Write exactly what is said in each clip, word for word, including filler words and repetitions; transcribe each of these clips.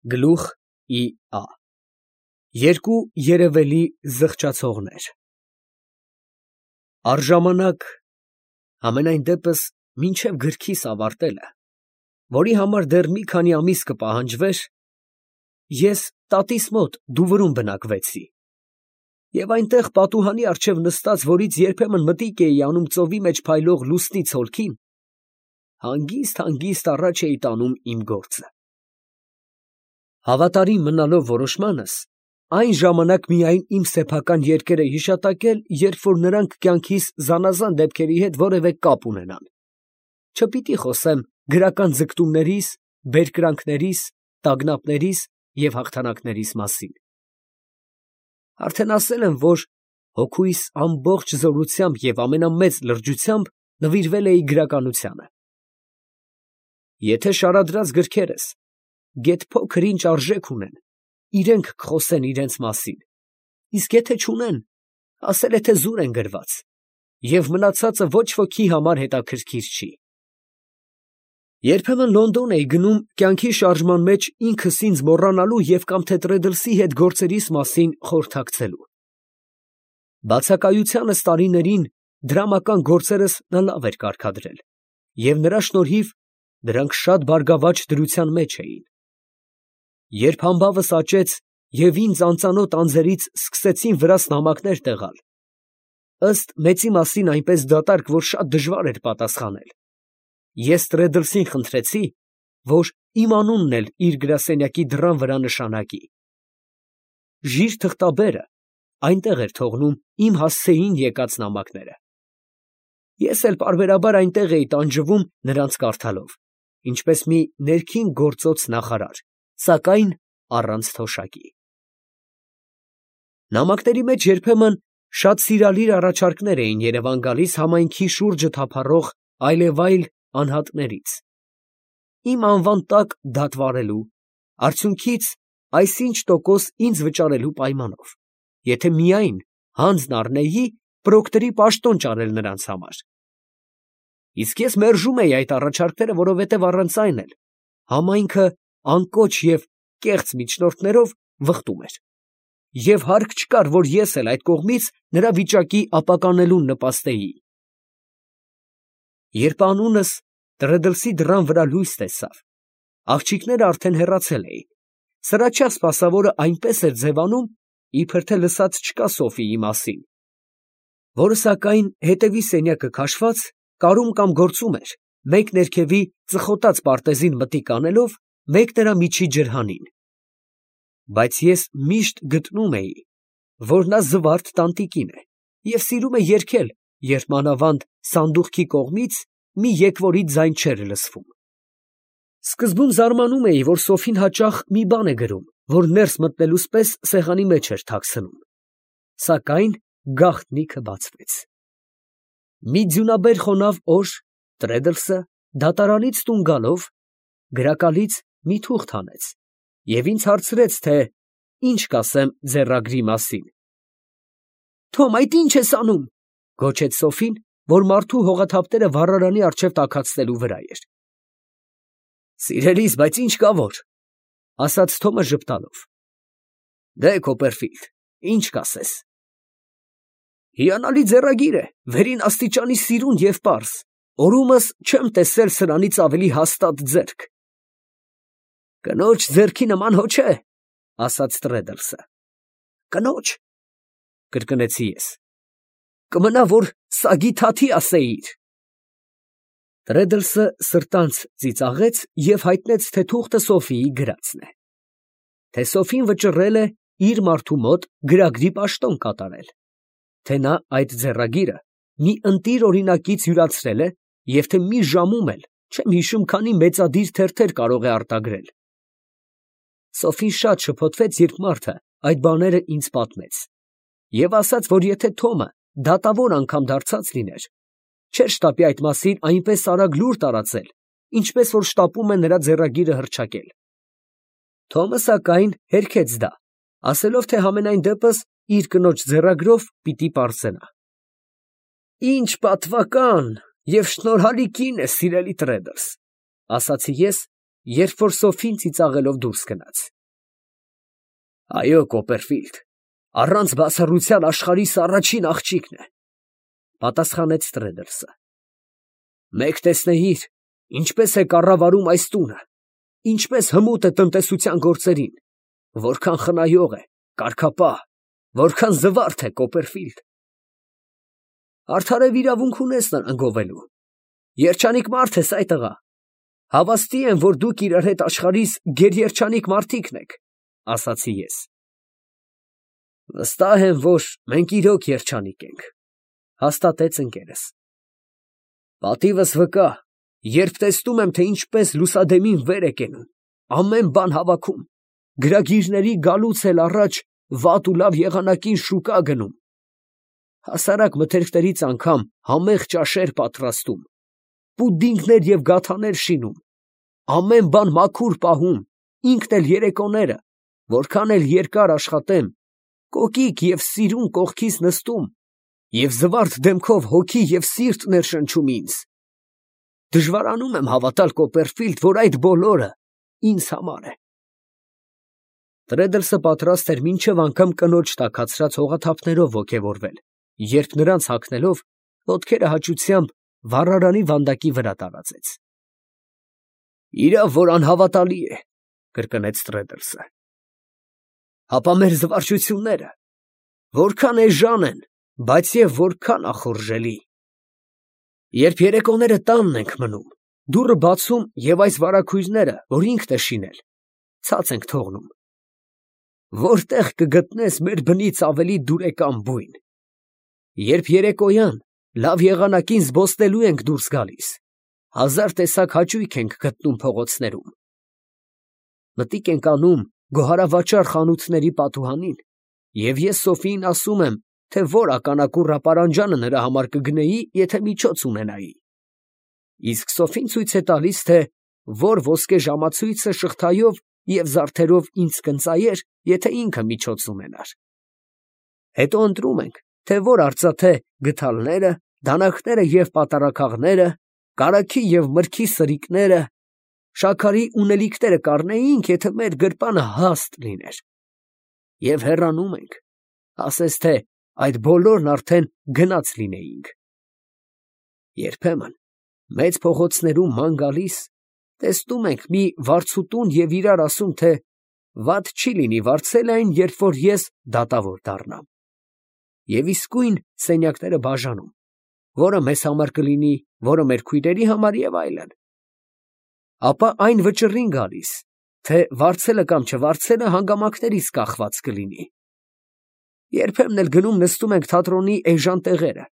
Գլուխ ի ա Երկու երևելի զղջացողներ։ Առժամանակ, համենայն դեպս մինչև գրքիս ավարտելը, որի համար դեռ մի քանի ամիս կպահանջվեր, ես տատիս մոտ Դուվրում բնակվեցի և այնտեղ պատուհանի առջև նստած, որից երբեմն մտիկ էի անում ծովի մեջ փայլող լուսնի ցոլքին, հանգիստ֊հանգիստ առաջ էի տանում իմ գործը։ Հավատարիմ մնալով որոշմանս, այն ժամանակ միայն իմ սեփական երկերը հիշատակել, երբ որ նրանք կյանքիս զանազան դեպքերի հետ որևէ կապ ունենան, չպիտի խոսեմ գրական ձգտումներիս, բերկրանքներիս, տագնապներիս և հաղթանակներիս մասին։ Արդեն ասել եմ, որ հոգուիս ամբողջ զորությամբ և ամենամեծ լրջությամբ նվիրվել էի գրականությանը։ Եթե շարադրած գրքերս գեթ փոքր ինչ արժեք ունեն, իրանք կխոսեն իրանց մասին, իսկ եթե չունեն, ասել է, թե զուր են գրված, և մնացածը ոչ ոքի համար հետաքրքիր չի։ Երբեմն Լոնդոն էի գնում կյանքի շարժման մեջ ինքս ինձ մոռանալու և կամ թե Տրեդլսի հետ գործերիս մասին խորհրդակցելու։ Բացակայությանս տարիներին դրամական գործերս նա լավ էր կարգադրել, և նրա շնորհիվ դրանք շատ բարգավաճ դրության մեջ էին։ Երբ համբավս աճեց և ինձ անծանոթ անձերից սկսեցին վրաս նամակներ տեղալ, ըստ մեծի մասին այնպես դատարկ, որ շատ դժվար էր պատասխանել, ես Տրեդլսին խնդրեցի, որ իմ անունն էլ իր գրասենյակի դռան վրա նշանակի։ Ժիր թղթաբերը այնտեղ էր թողնում իմ հասցեին եկած նամակները։ Ես էլ պարբերաբար այնտեղ էի տանջվում նրանց կարդալով, ինչպես մի ներքին գործոց նախարար, սակայն առանց թոշակի։ Նամակների մեջ երբեմն շատ սիրալիր առաջարկներ էին Երևան գալիս համայնքի շուրջը թափառող այլևայլ անհատներից, իմ անվան տակ դատվարելու, արդյունքից այսինչ տոկոս ինձ վճարելու պայմանով, եթե միայն հանձն առնեի պրոկտորի պաշտոն ճարել նրանց համար։ Իսկ ես մերժում էի այդ առաջարկները, որովհետև առանց այն էլ համայնքը անկոչ և կեղծ միջնորդներով վխտում էր, և հարկ չկար, որ ես էլ այդ կողմից նրա վիճակի ապականելուն նպաստեի։ Երբ անունս Տրեդլսի դռան վրա լույս տեսավ, աղջիկները արդեն հեռացել էին, սրաչյա սպասավորը այնպես էր ձևանում, իբր թե լսած չկա Սոֆիի մասին, որը սակայն հետևի սենյակը քաշված, կարում կամ գործում էր, մեկ ներքևի ծխոտած պարտեզին մտիկ անելով, մեկ նրա միջի ջրհանին։ Բայց ես միշտ գտնում էի, որ նա զվարթ տանտիկին է և սիրում է երգել, երբ մանավանդ սանդուղքի կողմից մի եկվորի ձայն չէր լսվում։ Սկզբում զարմանում էի, որ Սոֆին հաճախ մի բան է գրում, որ ներս մտնելուց պես սեղանի մեջ էր թաքցնում, սակայն գաղտնիքը բացվեց։ Մի ձյունաբեր խոնավ օր Տրեդլսը դատարանից տուն գալով գրակալից մի թուղթ հանեց և ինձ հարցրեց, թե ինչ կասեմ ձեռագրի մասին։ ֊ Թոմ, այդ ի՞նչ ես անում, ֊ գոչեց Սոֆին, որ մարդու հողաթափտերը վառարանի առջև տաքացնելու վրա էր։ ֊ Սիրելիս, բայց ինչ կա որ, ֊ ասաց Թոմը ժպտալով։ ֊ Դե, Քոպերֆիլդ, ինչ կասես։ ֊ Հիանալի ձեռագիր է, վերին աստիճանի սիրուն և պարզ, օրումս չեմ տեսել սրանից ավելի հաստատ ձեռք։ ֊ Կնոջ ձեռքի նման հո չէ, ֊ ասաց Տրեդլսը։ ֊ Կնոջ, ֊ կրկնեցի ես։ ֊ Կմնա, որ սագի թաթի ասեիր։ Տրեդլսը սրտանց ծիծաղեց և հայտնեց, թե թուղթը Սոֆիի գրածն է, թե Սոֆին վճռել է իր մարդու մոտ գրագրի պաշտոն կատարել, թե նա այդ ձեռագիրը մի ընտիր օրինակից յուրացրել է և թե մի ժամում էլ չեմ հիշում քանի մեծադիր թերթեր կարող է արտագրել։ Սոֆին շատ շփոթվեց, երբ մարդը այդ բաները ինձ պատմեց, և ասաց, որ եթե Թոմը դատավոր անգամ դարձած լիներ, չէր շտապի այդ մասին այնպես արագ լուր տարածել, ինչպես որ շտապում է նրա ձեռագիրը հռչակել։ Թոմը, սակայն, հերքեց դա, ասելով, թե համենայն դեպս իր կնոջ ձեռագրով պիտի պարծենա։ ֊ Ինչ պատվական և շնորհալի կին ես, սիրելի Տրեդլս, ֊ ասացի ես, երբ որ Սոֆին ծիծաղելով դուրս գնաց։ Այո, Կոպերֆիլդ, առանց բացառության աշխարհիս առաջին աղջիկն է, պատասխանեց Տրեդլսը։ Մեկ տեսնեիր, ինչպես է կառավարում այս տունը, ինչպես հմուտ է տնտեսության գործերին, որքան խնայող է, կարգապահ, որքան զվարթ է, Կոպերֆիլդ։ Արդարև իրավունք ունես նրան գովելու։ Երջանիկ մարդ ես այդ աղա։ Հավաստի եմ, որ դուք իրար հետ աշխարհիս գերերջանիկ մարդիկն եք, ասացի ես։ Վստահ եմ, որ մենք իրոք երջանիկ ենք, հաստատեց ընկերս։ Պատիվս վկա, երբ տեսնում եմ, թե ինչպես լուսադեմին վեր է կենում, ամեն բան հավաքում, գրագիրների գալուց էլ առաջ վատ ու լավ եղանակին շուկա գնում, հասարակ մթերքներից անգամ համեղ ճաշեր պատրաստում, պուդինգներ և գաթաներ շինում, ամեն բան մաքուր պահում, ինքն էլ երեկոները, որքան էլ երկար աշխատեմ, կոկիկ և սիրուն կողքիս նստում և զվարթ դեմքով հոգի և սիրտ ներշնչում ինձ։ Դժվարանում եմ հավատալ, Կոպերֆիլդ, որ այդ բոլորը ինձ համար է։ Տրեդլսը պատրաստ էր մինչև անգամ կնոջ տաքացրած հողաթափներով ոգևորվել, երբ նրանց հագնելով, ոտքերը հաճությամբ վառարանի վանդակի վրա տարածեց։ Իրավ, որ անհավատալի է, կրկնեց Տրեդլսը։ Հապա մեր զվարճությունները որքան էժան են, բայց և որքան ախորժելի։ Երբ երեկոները տանն ենք մնում, դուռը բացում և այս վարագույրները, որ ինքն է շինել, ցած ենք թողնում, որտեղ կգտնես մեր բնից ավելի դուրեկան բույն։ Երբ երեկոյան լավ եղանակին զբոսնելու ենք դուրս գալիս, հազար տեսակ հաճույք ենք գտնում փողոցներում։ Մտիկ ենք անում գոհարավաճառ խանութների պատուհանին, և ես Սոֆիին ասում եմ, թե որ ականակուռ ապարանջանը նրա համար կգնեի, եթե միջոց ունենայի։ Իսկ Սոֆին ցույց է տալիս, թե որ ոսկե ժամացույցը շղթայով և զարդերով ինձ կընծայեր, եթե ինքը միջոց ունենար։ Հետո ընտրում ենք, թե որ արծաթե գդալները, դանակաները և պատառաքաղները, կարագի և մրգի սրիկները, շաքարի ունելիքները կառնեինք, եթե մեր գրպանը հաստ լիներ։ Եվ հեռանում ենք, ասես թե այդ բոլորն արդեն գնած լինեինք։ Երբեմն մեծ փողոցներում ման գալիս, տեսնում ենք մի վարձուտուն և իրար ասում, թե վատ չի լինի վարձել այն, երբ որ ես դատավոր դառնամ։ Եվ իսկույն սենյակները բաժանում, որը մեզ համար կլինի, որը մեր քույրերի համար և այլն։ Ապա այն վճռին գալիս, թե վարձելը կամ չվարձելը հանգամանքներից կախված կլինի։ Երբեմն էլ գնում նստում ենք թատրոնի էժան տեղերը,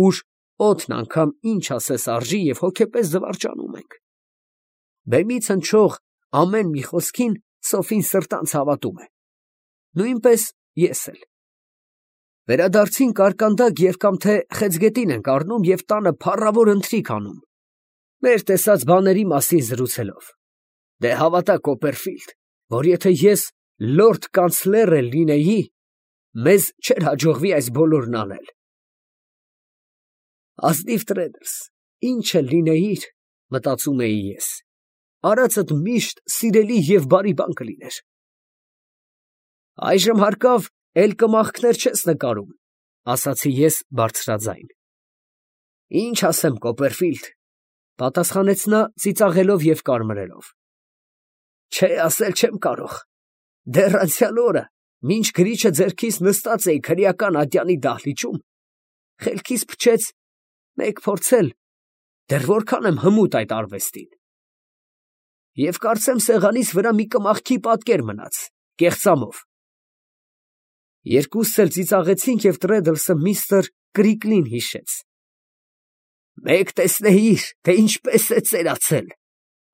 ուր օդն անգամ ինչ ասես արժի և հոգեպես զվարճանում ենք։ Բեմից հնչող ամեն մի խոսքին Սոֆին սրտանց հավատում է, նույնպես ես էլ։ Վերադարձին կարկանդակ և կամ թե խեցգետին ենք առնում և տանը փառավոր ընթրիք անում, մեր տեսած բաների մասին զրուցելով։ Դե հավատա, Կոպերֆիլդ, որ եթե ես լորդ կանցլեր էլ լինեի, մեզ չէր հաջողվի այս բոլորն անել։ Ազնիվ Տրեդլս, ինչ էլ լինեիր, մտածում էի ես, արածդ միշտ սիրելի և բարի բան կլիներ։ Այժմ հարկավ էլ կմախքներ չես նկարում, ասացի ես բարձրաձայն։ Ինչ ասեմ, Կոպերֆիլդ, պատասխանեց նա ծիծաղելով և կարմրելով։ Չէ, ասել չեմ կարող, դեռ անցյալ օրը, մինչ գրիչը ձեռքիս նստած էի քրեական ատյանի դահլիճում, խելքիս փչեց մեկ փորձել, դեռ որքան եմ հմուտ այդ արվեստին։ Եվ կարծեմ սեղանիս վրա մի կմախքի պատկեր մնաց, կեղծամով։ Երկուսս էլ ծիծաղեցինք և Տրեդլսը միստր Կրիկլին հիշեց։ Մեկ տեսնեիր, թե ինչպես է ծերացել,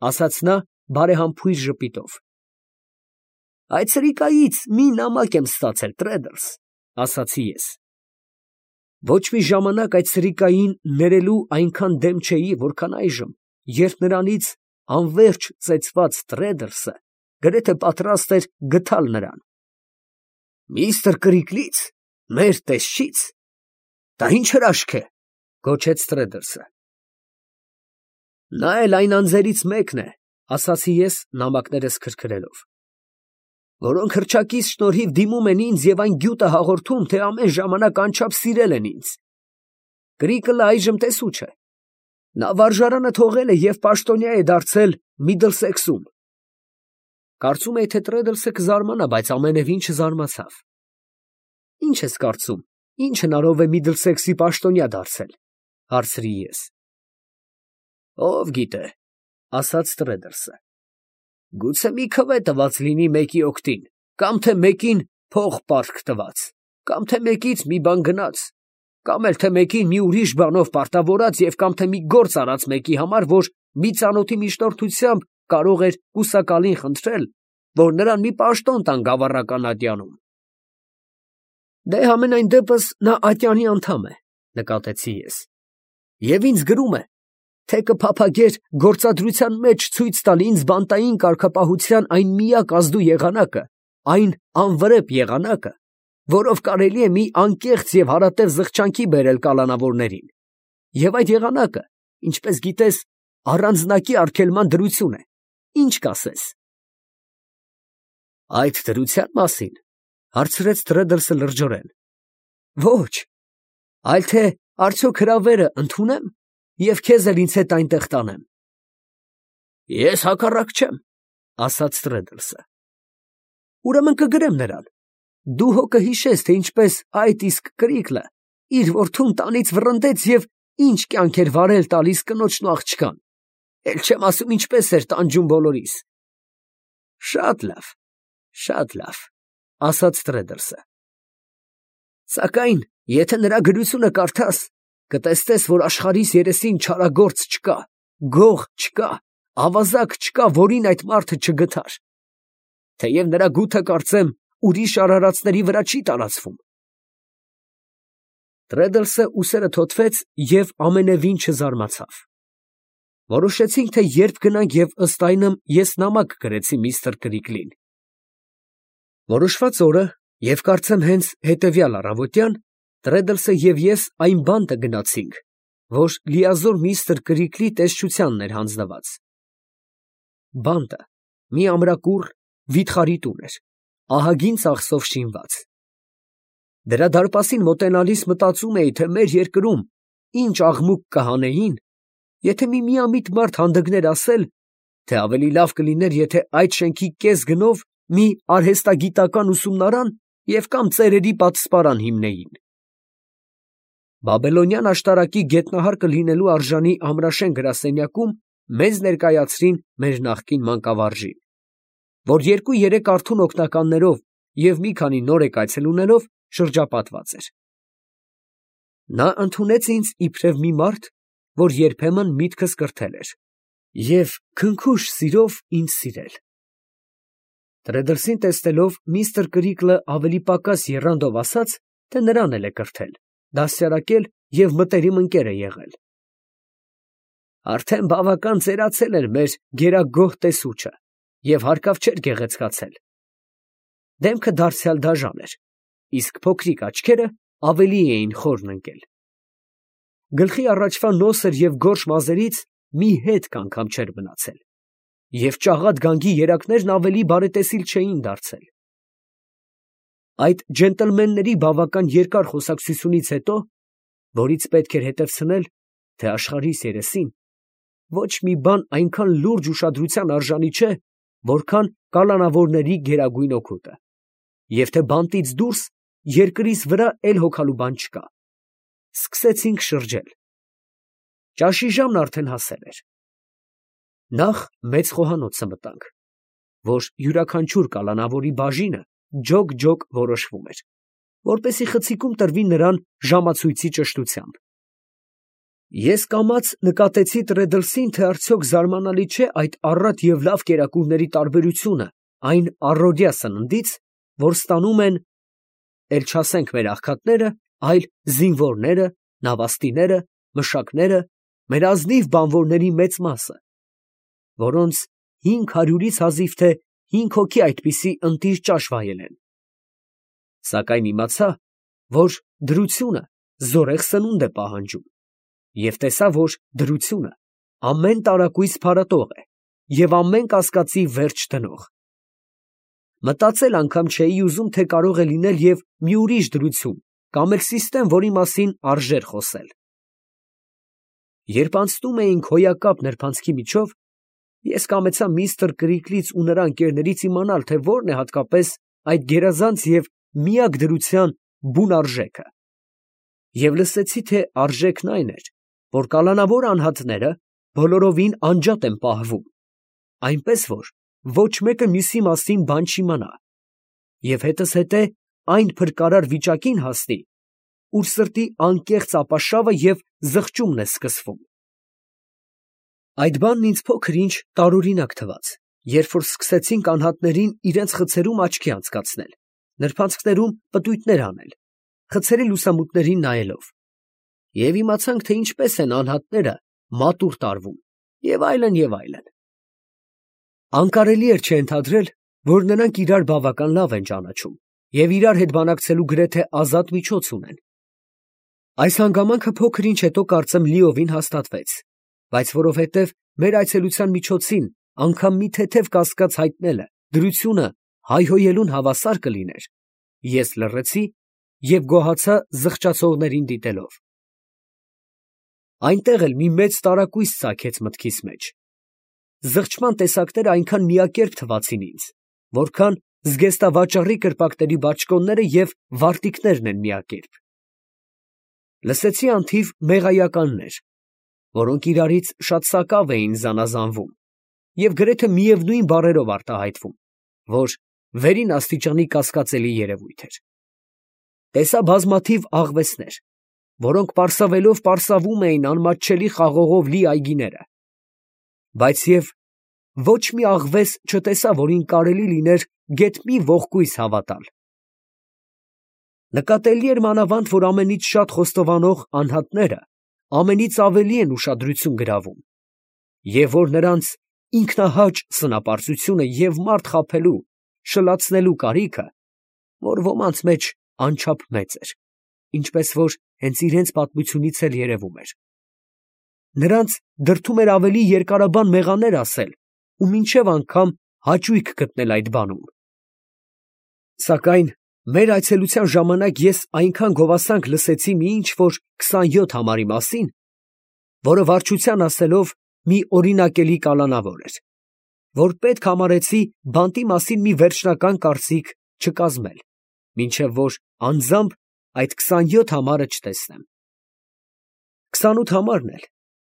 ասաց նա բարեհամբույր ժպիտով։ Այդ սրիկայից մի նամակ եմ ստացել, Տրեդլս, ասացի ես։ Ոչ մի ժամանակ այդ սրիկային ներելու այնքան դեմ չէի, որքան այժմ, երբ նրանից անվերջ ծեծված Տրեդլսը գրեթե պատրաստ էր գթալ նրան։ Միստր Կրիկլից, մեր տեսչից, դա ինչ հրաշք է, գոչեց Տրեդլսը։ Նա էլ այն անձերից մեկն է, ասացի ես նամակներս քրքրելով։ որոնք հռչակից շնորհիվ դիմում են ինձ և այն գյուտը հաղորդում, թե ամեն ժամանակ անչափ սիրել են ինձ։ Կրիկլը այժմ տեսու չէ. նա վարժարանը թողել է և պաշտոնյա է դարձել Միդլսեքսում։ Կարծում էի, թե Տրեդլսը կզարմանա, բայց ամենևին չզարմացավ։ Ի՞նչ ես կարծում, ինչ հնարով է Միդլսեքսի պաշտոնյա դարձել, հարցրի ես։ Ով գիտե, ասաց Տրեդլսը, գուցե մի քվե տված լինի մեկի օգտին, կամ թե մեկին փող պարտք տված, կամ թե մեկից մի բան գնաց, կամ էլ թե մեկին մի ուրիշ բանով պարտավորած և կամ թե մի գործ արած մեկի համար, որ մի ծանոթի միջնորդությամբ կարող էր կուսակալին խնդրել, որ նրան մի պաշտոն տան գավառական ատյանում։ Դե համենայն դեպս նա ատյանի անդամ է, նկատեցի ես, և ինձ գրում է, թե կփափագեր գործադրության մեջ ցույց տալ ինձ բանտային կարգապահության այն միակ ազդու եղանակը, այն անվրեպ եղանակը, որով կարելի է մի անկեղծ և հարատև զղջանքի բերել կալանավորներին, և այդ եղանակը, ինչպես գիտես, առանձնակի արգելման դրություն է, ինչ կասես։ Այդ դրության մասին, հարցրեց Տրեդլսը լրջորեն։ Ոչ, այլ թե արդյոք հրավերը ընդունեմ և քեզ էլ ինձ հետ այնտեղ տանեմ։ Ես հակառակ չեմ, ասաց Տրեդլսը։ Ուրեմն կգրեմ նրան։ Դու հո կհիշես, թե ինչպես այդ իսկ Կրիկլը իր որդուն տանից վռնդեց և ինչ կյանք էր վարել տալիս կնոջն ու աղջկան, էլ չեմ ասում ինչպես էր տանջում բոլորիս։ Շատ լավ, շատ լավ, ասաց Տրեդլսը։ Սակայն, եթե նրա գրությունը կարդաս, կտեսնես, որ աշխարհիս երեսին չարագործ չկա, գող չկա, ավազակ չկա, որին այդ մարդը չգթար։ Թեև նրա գութը, կարծեմ, ուրիշ արարածների վրա չի տարածվում։ Տրեդլսը ուսերը թոթվեց և ամենևին չզարմացավ։ Որոշեցինք, թե երբ գնանք և ըստ այնմ ես նամակ գրեցի միստր Կրիկլին։ Որոշված օրը, և կարծեմ հենց հետևյալ առավոտյան, Տրեդլսը և ես այն բանտը գնացինք, որ լիազոր միստր Կրիկլի տեսչությանն էր հանձնված։ Բանտը մի ամրակուռ վիթխարի տուն էր, ահագին ծախսով շինված։ Դրա դարպասին մոտենալիս մտածում էի, թե մեր երկրում ինչ աղմուկ կհանեին, եթե մի միամիտ մարդ հանդգներ ասել, թե ավելի լավ կլիներ, եթե այդ շենքի կես գնով մի արհեստագիտական ուսումնարան և կամ ծերերի պատսպարան հիմնեին։ Բաբելոնյան աշտարակի գետնահարկը լինելու արժանի ամրաշեն գրասենյակում մեզ ներկայացրին մեր նախկին մանկավարժին, որ երկու֊երեք արթուն օգնականներով և մի քանի նորեկ այցելուներով շրջապատված էր։ Նա ընդունեց ինձ իբրև մի մարդ, որ երբեմն միտքս կրթել էր, և քնքուշ սիրով ինձ սիրել։ Տրեդլսին տեսնելով, միստր Կրիկլը ավելի պակաս եռանդով ասաց, թե նրան էլ է կրթել, դաստիարակել և մտերիմ ընկեր է եղել։ Արդեն բավական ծերացել էր մեր գերագոհ տեսուչը և հարկավ չէր գեղեցկացել։ Դեմքը դարձյալ դաժան էր, իսկ փոքրիկ աչքերը ավելի էին խորն ընկել։ Գլխի առաջվա նոսր և գորշ մազերից մի հետք անգամ չէր մնացել, և ճաղատ գանգի երակներն ավելի բարետեսիլ չէին դարձել։ Այդ ջենտլմենների բավական երկար խոսակցությունից հետո, որից պետք էր հետևցնել, թե աշխարհիս երեսին ոչ մի բան այնքան լուրջ ուշադրության արժանի չէ, որքան կալանավորների գերագույն օգուտը, և թե բանտից դուրս երկրիս վրա էլ հոգալու բան չկա, սկսեցինք շրջել։ Ճաշի ժամն արդեն հասել էր։ Նախ մեծ խոհանոցը մտանք, որ յուրաքանչյուր կալանավորի բաժինը ջոկ֊ջոկ որոշվում էր, որպեսզի խցիկում տրվի նրան ժամացույցի ճշտությամբ։ Ես կամաց նկատեցի Տրեդլսին, թե արդյոք զարմանալի չէ այդ առատ և լավ կերակուրների տարբերությունը այն առօրյա սննդից, որ ստանում են, էլ չասենք մեր աղքատները, այլ զինվորները, նավաստիները, մշակները, մեր ազնիվ բանվորների մեծ մասը, որոնց հինգ հարյուրից հազիվ թե հինգ հոգի այդպիսի ընտիր ճաշ վայել են։ Սակայն իմացա, որ դրությունը զորեղ սնունդ է պահանջում, և տեսա, որ դրությունը ամեն տարակույս փարատող է և ամեն կասկածի վերջ դնող։ Մտածել անգամ չէի ուզում, թե կարող է լինել և մի ուրիշ դրություն կամ էլ սիստեմ, որի մասին արժեր խոսել։ Երբ անցնում էինք հոյակապ նրբանցքի միջով, ես կամեցա միստր Կրիկլից ու նրա ընկերներից իմանալ, թե որն է հատկապես այդ գերազանց և միակ դրության բուն արժեքը, և լսեցի, թե արժեքն այն էր, որ կալանավոր անհատները բոլորովին անջատ են պահվում, այնպես որ ոչ մեկը մյուսի մասին բան չիմանա, և հետզհետե այն փրկարար վիճակին հասնի, ուր սրտի անկեղծ ապաշավը և զղջումն է սկսվում։ Այդ բանն ինձ փոքր-ինչ տարօրինակ թվաց, երբ որ սկսեցինք անհատներին իրենց խցերում աչքի անցկացնել, նրբանցքներում պտույտներ անել, խցերի լուսամուտներին նայելով, և իմացանք, թե ինչպես են անհատները մատուռ տարվում, և այլն, և այլն։ Անկարելի էր չենթադրել, որ նրանք իրար բավական լավ են ճանաչում և իրար հետ բանակցելու գրեթե ազատ միջոց ունեն։ Այս հանգամանքը փոքր-ինչ հետո կարծեմ լիովին հաստատվեց, բայց որովհետև մեր այցելության միջոցին անգամ մի թեթև կասկած հայտնելը դրությունը հայհոյելուն հավասար կլիներ, ես լռեցի և գոհացա զղջացողներին դիտելով։ Այնտեղ էլ մի մեծ տարակույս ծագեց մտքիս մեջ։ Զղջման տեսակները այնքան միակերպ թվացին ինձ, որքան զգեստավաճառի կրպակների բաճկոնները և վարտիքներն են միակերպ։ Լսեցի անթիվ մեղայականներ, որոնք իրարից շատ սակավ էին զանազանվում և գրեթե միևնույն բառերով արտահայտվում, որ վերին աստիճանի կասկածելի երևույթ էր։ Տեսա բազմաթիվ աղվեսներ, որոնք պարսավելով պարսավում էին անմատչելի խաղողով լի այգիները, բայց և ոչ մի աղվես չտեսա, որին կարելի լիներ գեթ մի ողկույզ հավատալ։ Նկատելի էր մանավանդ, որ ամենից շատ խոստովանող անհատները ամենից ավելի են ուշադրություն գրավում, և որ նրանց ինքնահաճ սնապարծությունը և մարդ խաբելու, շլացնելու կարիքը, որ ոմանց մեջ անչափ մեծ էր, ինչպես որ հենց իրանց պատմությունից էլ երևում էր։ Նրանց դրդում էր ավելի երկարաբան մեղաներ ասել ու մինչև անգամ հաճույք գտնել այդ բանում։ Սակայն մեր այցելության ժամանակ ես այնքան գովասանք լսեցի մի ինչ֊որ քսանյոթ համարի մասին, որը վարչության ասելով մի օրինակելի կալանավոր էր, որ պետք համարեցի բանտի մասին մի վերջնական կարծիք չկազմել, մինչև որ անձամբ այդ քսանյոթ համարը չտեսնեմ։ Քսանութ համարն էլ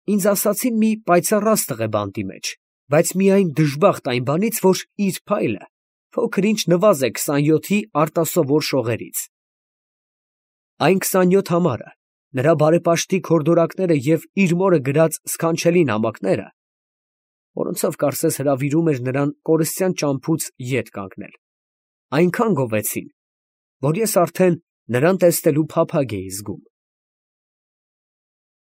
ինձ ասացին մի պայծառ աստղ է բանտի մեջ, բայց միայն դժբախտ այն բանից, որ իր փայլը փոքր-ինչ նվազ է քսանյոթի արտասովոր շողերից։ Այն քսանյոթ համարը, նրա բարեպաշտիկ հորդորակները և իր մորը գրած սքանչելի նամակները, որոնցով կարծես հրավիրում էր նրան կորստյան ճամփուց ետ կանգնել, այնքան գովեցին, որ ես արդեն նրան տեսնելու փափագ էի զգում։